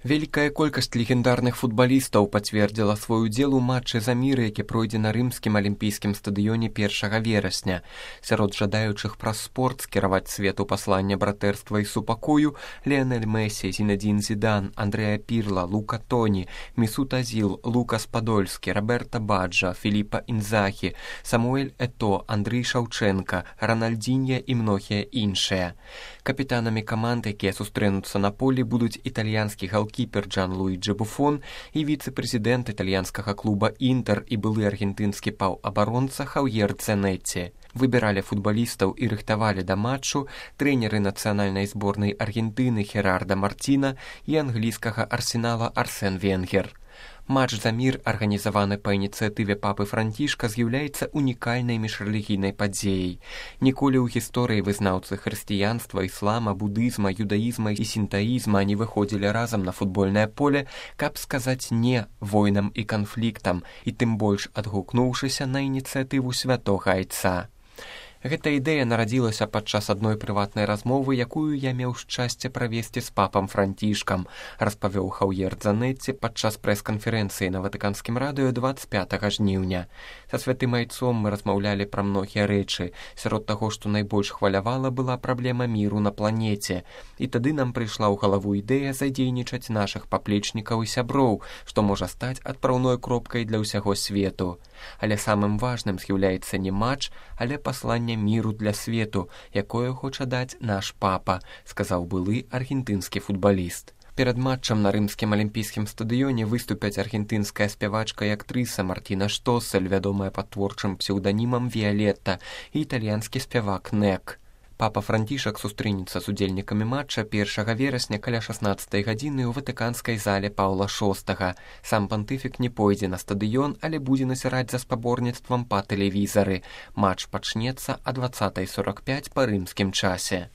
Вялікая колькасць легендарных футбалістаў пацвердзіла свой удзел у матчы за мір, які пройдзе на рымскім алімпійскім стадыёне 1 верасня. Сярод жадаючых праз спорт скіраваць свету паслання братэрства і супакою Ліанель Месі, Зінедзін Зідан, Андрэа Пірла, Лука Тоні, Месут Азіл, Лукас Падольскі, Роберта Баджа, Філіпа Інзахі, Самуэль Ето, Андрій Шаўчэнка, Ранальдзінья і многія іншыя. Капітанамі каманд, якія сустрэнуцца на полі, будуць італьянскі галкіпер Джан-Луіджі Буфон і віцэ-прэзідэнт італьянскага клуба «Інтэр» і былы аргентынскі паўабаронца Хаўер Дзанетці. Выбіралі футбалістаў і рыхтавалі да матчу трэнеры нацыянальнай зборнай Аргентыны Херардо Мартіна і англійскага Арсенала Арсен Венгер. Матч за мір, арганізаваны па ініцыятыве папы Францішка, з'яўляецца унікальнай міжрэлігійнай падзеяй. Ніколі ў гісторыі вызнаўцы хрысціянства, іслама, будызма, юдаізма і сінтаізма не выходзілі разам на футбольнае поле, каб сказаць «не» войнам і канфліктам, і тым больш адгукнуўшыся на ініцыятыву святога айца. Гэта ідэя нарадзілася падчас адной прыватнай размовы, якую я меў шчасце правесці з папам Францішкам, распавёў Хаўер Дзанетці падчас прэс-канферэнцыі на Ватыканскім радыё 25 жніўня. Са святым айцом мы размаўлялі пра многія рэчы. Сярод таго, што найбольш хвалявала, была праблема міру на планеце. І тады нам прыйшла ў галаву ідэя задзейнічаць нашых паплечнікаў і сяброў, што можа стаць адпраўной кропкай для ўсяго свету. Але самым важным з'яўляецца не матч, але пасланне міру для свету, якое хоча даць наш папа, сказаў былы аргентынскі футбаліст. Перад матчам на рымскім алімпійскім стадыёне выступяць аргентынская спявачка і актрыса Мартіна Штосель, вядомая пад творчым псеўданімам Віялетта, і італьянскі спявак Нек. Папа Францішак сустрэнецца з удзельнікамі матча 1 верасня каля 16 гадзіны ў ватыканскай зале Паўла VI. Сам пантыфік не пойдзе на стадыён, але будзе назіраць за спаборніцтвам па тэлевізары. Матч пачнецца а 20:45 па рымскім часе.